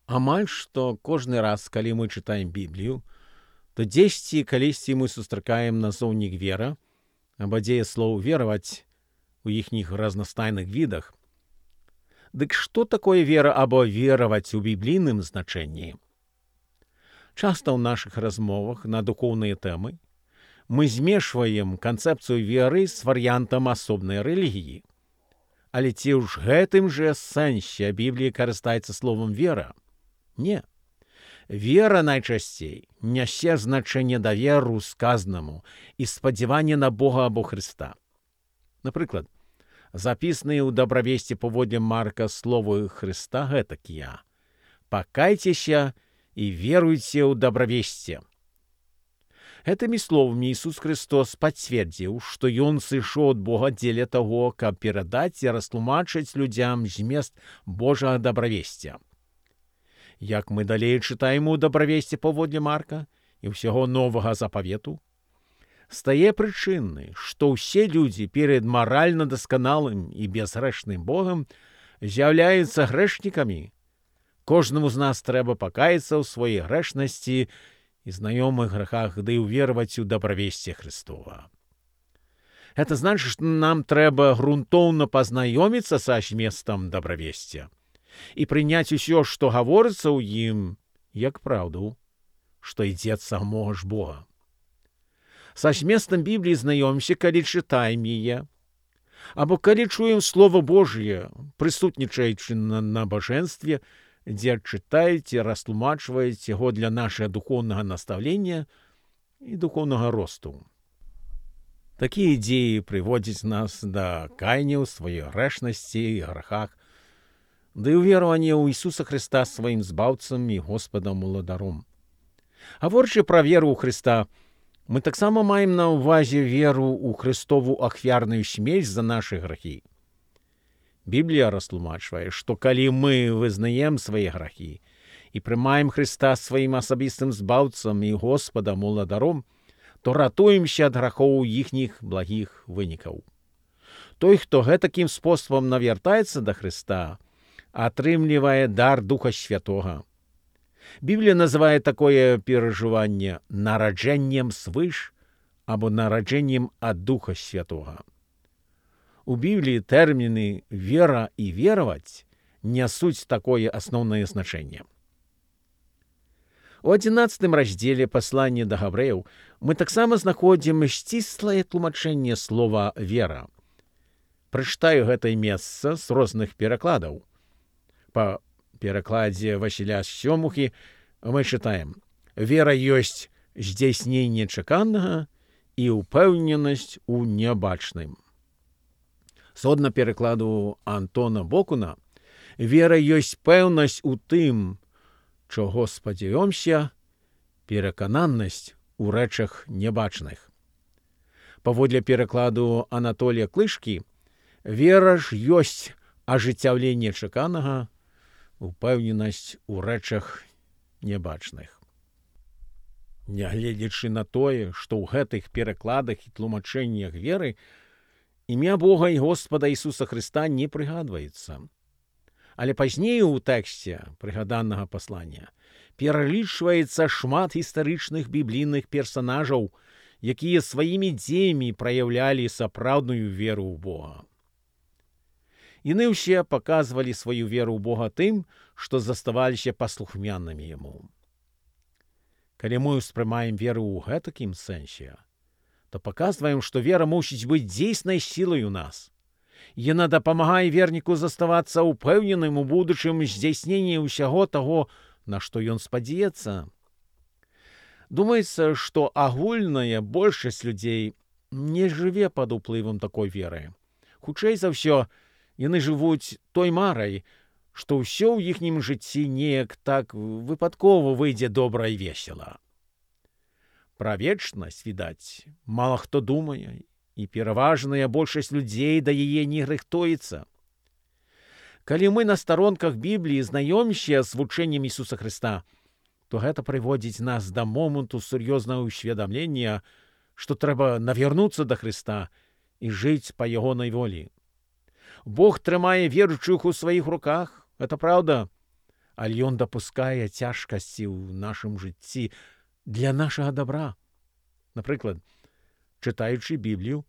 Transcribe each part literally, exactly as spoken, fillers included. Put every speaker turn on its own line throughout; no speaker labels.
Амаль што кожны раз, калі мы чытаем Біблію, то дзесьці калісьці мы сустракаем назоўнік вера, або дзея слоў вераваць у іхніх разнастайных відах. Дык што такое вера або вераваць у біблійным значэнні? Часта ў нашых размовах на духоўныя тэмы мы змешваем канцэпцыю веры з варыянтам асобнай рэлігіі. Але ці ў ж гэтым жа сэнсе Біблія карыстаецца словам «вера»? Не. Вера найчасцей нясе значэнне даверу сказанаму і спадзяванне на Бога або Хрыста. Напрыклад, запісаныя ў дабравесці паводле Марка словы Хрыста гэтакія: «Пакайцеся і веруйце ў дабравесце». Гэтымі словамі Ісус Христос пацвердзіў, што Ён сышоў ад Бога дзеля таго, каб перадаць і растлумачыць людзям змест Божага дабравесця. Як мы далей чытаем у дабравесці паводле Марка і ўсяго новага запавету, стае прычынай, што ўсе людзі перад маральна дасканалым і безгрэшным Богам з'яўляюцца грэшнікамі. Кожнаму з нас трэба пакаяцца ў сваёй грэшнасці і знаёмых грахах, ды ўвераваць у дабравесце Христова. Гэта значыць, што нам трэба грунтоўна пазнаёміцца са зместам дабравесця і прыняць усё, што гаворыцца ў ім, як праўду, што ідзе ад самога ж Бога. Са зместам Бібліі знаёмся, калі чытаем яе, або калі чуем Слова Божье, прысутнічаючы на набажэнстве, дзе чытаюць і растлумачваюць яго для нашага духоўнага настаўлення і духоўнага росту. Такія ідзеі прыводзяць нас да каяния ў сваёй грэшнасці і грахах, да і ўверавання ў Ісуса Христа сваім збаўцам і Господам уладаром. Гаворачы пра веру ў Христа, мы таксама маем на ўвазе веру ў Христову ахвярную смерць за нашы грахі. Біблія растлумачвае, што калі мы вызнаем свае грахі і прымаем Христа сваім асабістым збаўцам і Господам уладаром, то ратуемся ад грахоў іхніх благіх вынікаў. Той, хто гэтакім спосабам навяртаецца да Христа, атрымлівае дар Духа Святога. Біблія называе такое перажыванне нараджэннем свыш або нараджэннем ад Духа Святога. У Бібліі тэрміны «вера» і «вераваць» нясуць такое асноўнае значэнне. У адзінаццатым раздзеле паслання да габрэяў мы таксама знаходзім сціслае тлумачэнне слова «вера». Прачытаю гэтае месца з розных перакладаў. Па перакладзе Васіля Сёмухі мы чытаем: «Вера ёсць здзяйсненне чаканага і ўпэўненасць у нябачным». Згодна перакладу Антона Бокуна, вера ёсць пэўнасць у тым, чаго спадзяёмся, перакананасць у рэчах нябачных. Паводле перакладу Анатолія Клышкі, вера ж ёсць ажыццяўленне чаканага, упэўненасць у рэчах нябачных. Нягледзячы на тое, што ў гэтых перакладах і тлумачэннях веры імя Бога і Господа Ісуса Христа не прыгадваецца. Але пазней у тэксце прыгаданага паслання пералічваецца шмат гістарычных біблійных персанажаў, якія сваімі дзеямі праяўлялі сапраўдную веру ў Бога. Яны ўсе паказвалі сваю веру ў Бога тым, што заставаліся паслухмянымі Яму. Калі мы ўспрымаем веру ў гэтакім сэнсе, то паказваем, што вера мусіць быць дзейснай сілай у нас. Яна дапамагае верніку заставацца ўпэўненым у будучым здзяйсненні ўсяго таго, на што ён спадзяецца. Думаецца, што агульная большасць людзей не жыве пад уплывам такой веры. Хутчэй за ўсё, яны жывуць той марай, што ўсё ў іхнім жыцці неяк так выпадкова выйдзе добра і весела. Пра вечнасць, відаць, мала хто думае, і пераважная большасць людзей да яе не рыхтуецца. Калі мы на старонках Бібліі знаёмся з вучэннем Ісуса Христа, то гэта прыводзіць нас да моманту сур'ёзнага ўсведамлення, што трэба навярнуцца да Христа і жыць па ягонай волі. Бог трымае веруючых у сваіх руках, гэта праўда, але Ён дапускае цяжкасці ў нашым жыцці для нашага добра. Напрыклад, чытаючы Біблію,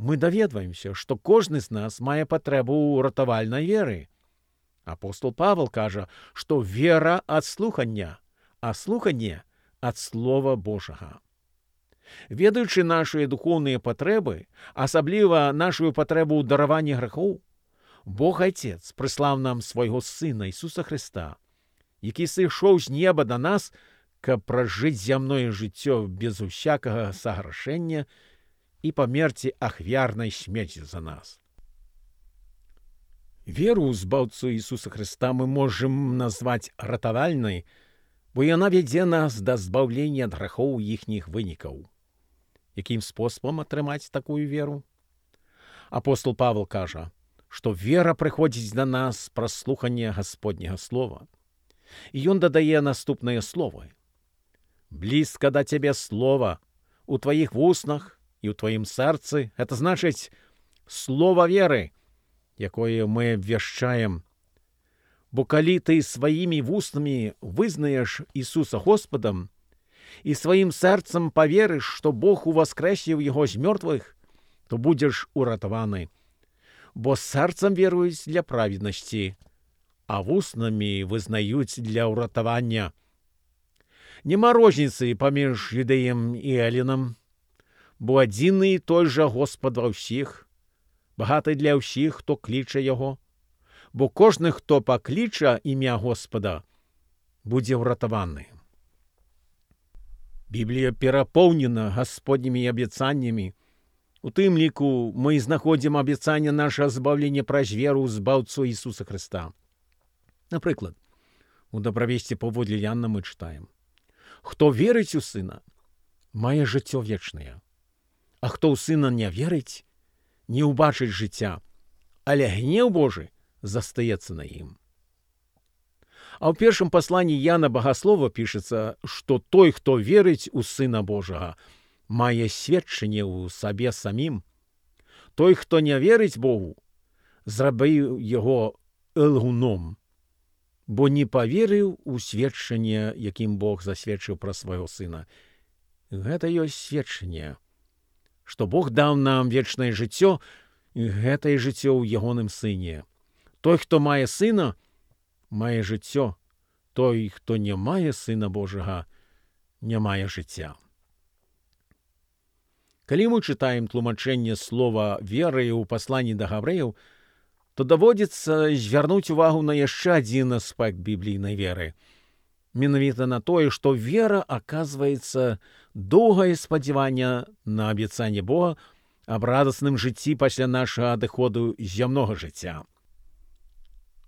мы даведваемся, што кожны з нас мае патрэбу ў ратавальнай веры. Апостол Павел кажа, што вера ад слухання, а слуханне ад Слова Божага. Ведаючы нашыя духоўныя патрэбы, асабліва нашую патрэбу ў дараванні грахоў, Бог Айцец прыслаў нам свайго Сына Ісуса Хрыста, які сышоў з неба да нас, каб пражыць зямное жыццё без усякага саграшэння і памерці ахвярнай смерці за нас. Веру ў збаўцу Ісуса Хрыста мы можам назваць ратавальнай, бо яна вядзе нас да збаўлення ад грахоў іхніх вынікаў. Якім спосабам атрымаць такую веру? Апостол Павел кажа, што вера прыходзіць да нас праз слуханне Гасподняга слова. І ён дадае наступныя словы. «Блізка да цябе слова у тваіх вуснах і ў тваім сэрцы». Это значыць слова веры, якое мы абвяшчаем. Бо калі ты сваімі вуснамі вызнаеш Ісуса Господам і сваім сэрцам паверыш, што Бог уваскрэсіў яго з мёртвых, то будзеш уратаваны. Бо сэрцам веруюць для праведнасці, а вуснамі вызнаюць для ўратавання. Нема розніцы паміж юдэем і элінам, бо адзіны і той жа Господ ва ўсіх, багаты для ўсіх, хто кліча яго, бо кожны, хто пакліча імя Господа, будзе ўратаваны. Біблія перапоўнена Гасподнімі абяцаннямі. У тым ліку мы знаходзім абяцанне нашага збаўлення праз веру ў збаўцу Ісуса Хрыста. Напрыклад, у дабравесці паводле Яна мы чытаем: «Хто верыць у Сына, мае жыццё вечнае, а хто ў Сына не верыць, не ўбачыць жыцця, але гнеў Божы застаецца на ім». А ў першым пасланні Яна Багаслова пішацца, што той, хто верыць у Сына Божага, мае сведчанне ў сабе самім. Той, хто не верыць Богу, зрабіў яго лгуном, бо не паверыў у сведчанне, якім Бог засведчыў пра свайго Сына. Гэта ёсць сведчанне, што Бог даў нам вечнае жыццё, і гэтае жыццё ў ягоным Сыне. Той, хто мае Сына, мае жыццё. Той, хто не мае Сына Божага, не мае жыцця. Калі мы чытаем тлумачэнне слова веры ў пасланні да габрэяў, то даводзіцца звярнуць увагу на яшчэ адзін аспект біблійнай веры. Менавіта на тое, што вера, аказваецца, доўгае спадзяванне на абяцанне Бога аб радасным жыцці пасля нашага адыходу з зямнога жыцця.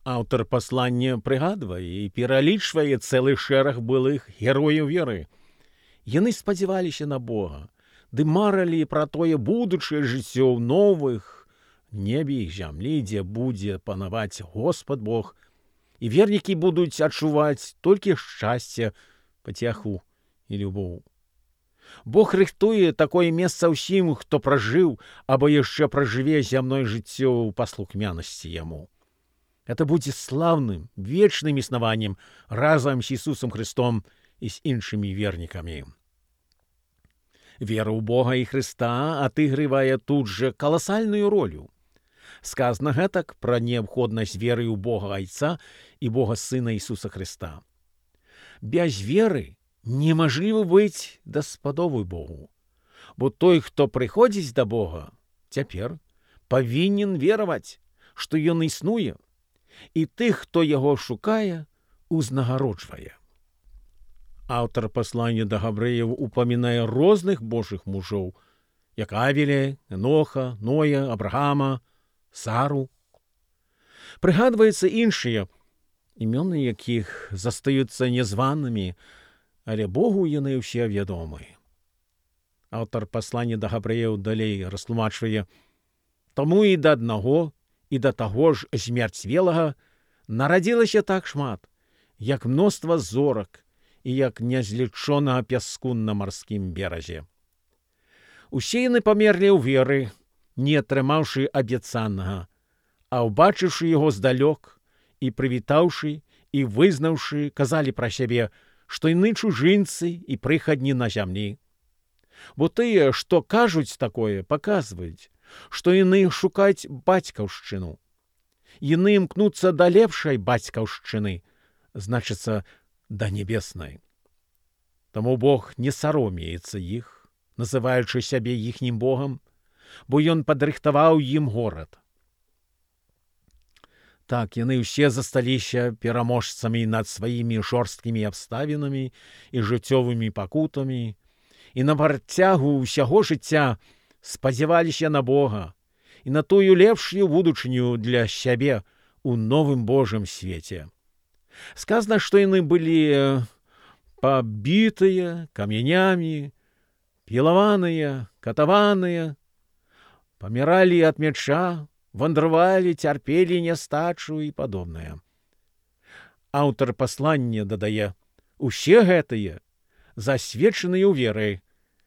Аўтар паслання прыгадвае і пералічвае цэлы шэраг былых герояў веры. Яны спадзяваліся на Бога, ды марылі пра тое будучае жыццё ў новых небе і зямлі, дзе будзе панаваць Господ Бог, і вернікі будуць адчуваць толькі шчасце, пацяху і любоў. Бог рыхтуе такое месца ўсім, хто пражыў або яшчэ пражыве зямное жыццё ў паслухмянасці Яму. Это будзе слаўным, вечным існаваннем разам з Ісусам Хрыстом і з іншымі вернікамі. Вера ў Бога і Хрыста адыгрывае тут жа каласальную ролю. Сказана гэтак пра неабходнасць веры ў Бога Айца і Бога Сына Ісуса Хрыста. Без веры немажліва быць даспадобы Богу, бо той, хто прыходзіць да Бога, цяпер павінен вераваць, што Ён існуе, і тых, хто яго шукае, узнагароджвае. Аўтар паслання да габрэяў упамінае розных божых мужоў, як Авеля, Эноха, Ноя, Абрагама, Сару. Прыгадваецца іншыя, імёны якіх застаюцца нязванымі, але Богу яны ўсе вядомы. Аўтар паслання да габрэяў далей растлумачвае: «Таму і да аднаго, і да таго ж змярцвелага нарадзілася так шмат, як мноства зорак і як нязлічонага пяску на марскім беразе. Усе яны памерлі ў веры, не атрымаўшы абяцанага, а ўбачыўшы яго здалёк і прывітаўшы і, визнавши, казали про себе, што яны чужинцы і прыхадні на зямлі. Бо тыя, што кажуць такое, паказваюць, што яны шукаюць бацькаўшчыну. Яны імкнуцца да лепшай бацькаўшчыны, значыцца, да небеснай. Таму Бог не саромеецца іх, называючы сябе іхнім Богам, бо ён падрыхтаваў ім горад. Так, яны ўсе засталіся пераможцамі над сваімі жорсткімі абставінамі і жыццёвымі пакутамі, і на працягу ўсяго жыцця спадзяваліся на Бога і на тую лепшую будучыню для сябе у новым Божым свеце. Сказана, што яны былі пабітыя камянямі, пілаваныя, катаваныя, паміралі ад мяча, вандравалі, цярпелі нястачу і падобнае. Аўтар паслання дадае, усе гэтыя, засведчаныя ў веры,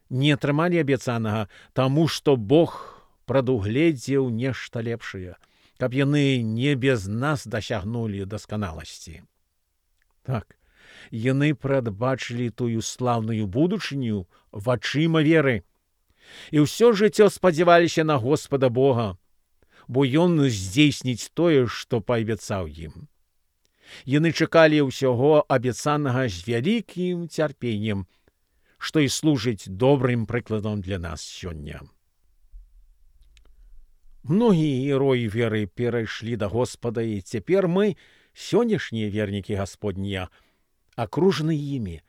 не атрымалі абяцанага, таму што Бог прадугледзеў нешта лепшае, каб яны не без нас дасягнулі дасканаласці. Так, яны прадбачылі тую слаўную будучыню вачыма веры, і ўсё жыццё спадзяваліся на Господа Бога, бо ён здзейсніць тое, што паабяцаў ім. Яны чакалі ўсяго абяцанага з вялікім цярпеннем, што і служыць добрым прыкладам для нас сёння. Многія героі веры перайшлі да Господа, і цяпер мы, сённяшнія вернікі Гасподнія, акружаны імі.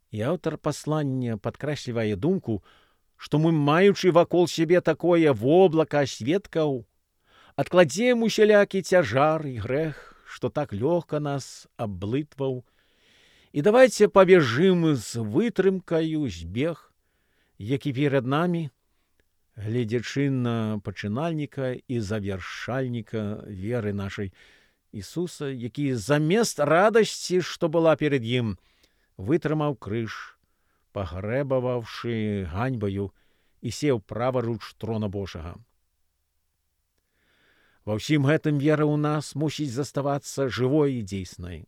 І аўтар паслання падкрэслівае думку, што мы, маючы вакол сябе такое воблака сведкаў, адкладзем усялякі цяжар і грэх, што так лёгка нас аблытваў, і давайце пабежым з вытрымкаю збег, які перад намі, гледзячы на пачынальніка і завяршальніка веры нашай Ісуса, які замест радасці, што была перед ім, вытрымаў крыж, пагрэбаваўшы ганьбаю, і сеў праваруч трона Божага. Ва ўсім гэтым вера ў нас мусіць заставацца жывой і дзейснай.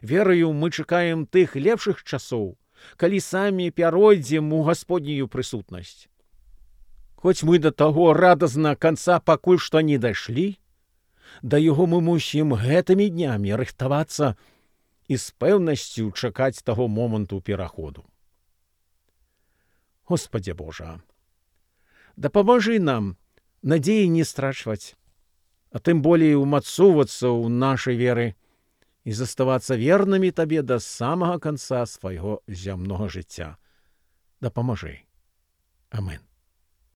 Вераю мы чакаем тых лепшых часоў, калі самі пяройдзем у Гасподнюю прысутнасць. Хоць мы да таго радазна канца пакуль што не дайшлі, да яго мы мусім гэтымі днямі рыхтавацца і з пэўнасцю чакаць таго моманту пераходу. Господзе Божа, дапамажы нам надзеі не страчваць, а тым болей умацоўвацца ў нашай веры і заставацца вернымі табе да самага канца свайго зямнога жыцця. Дапамажы. Амен.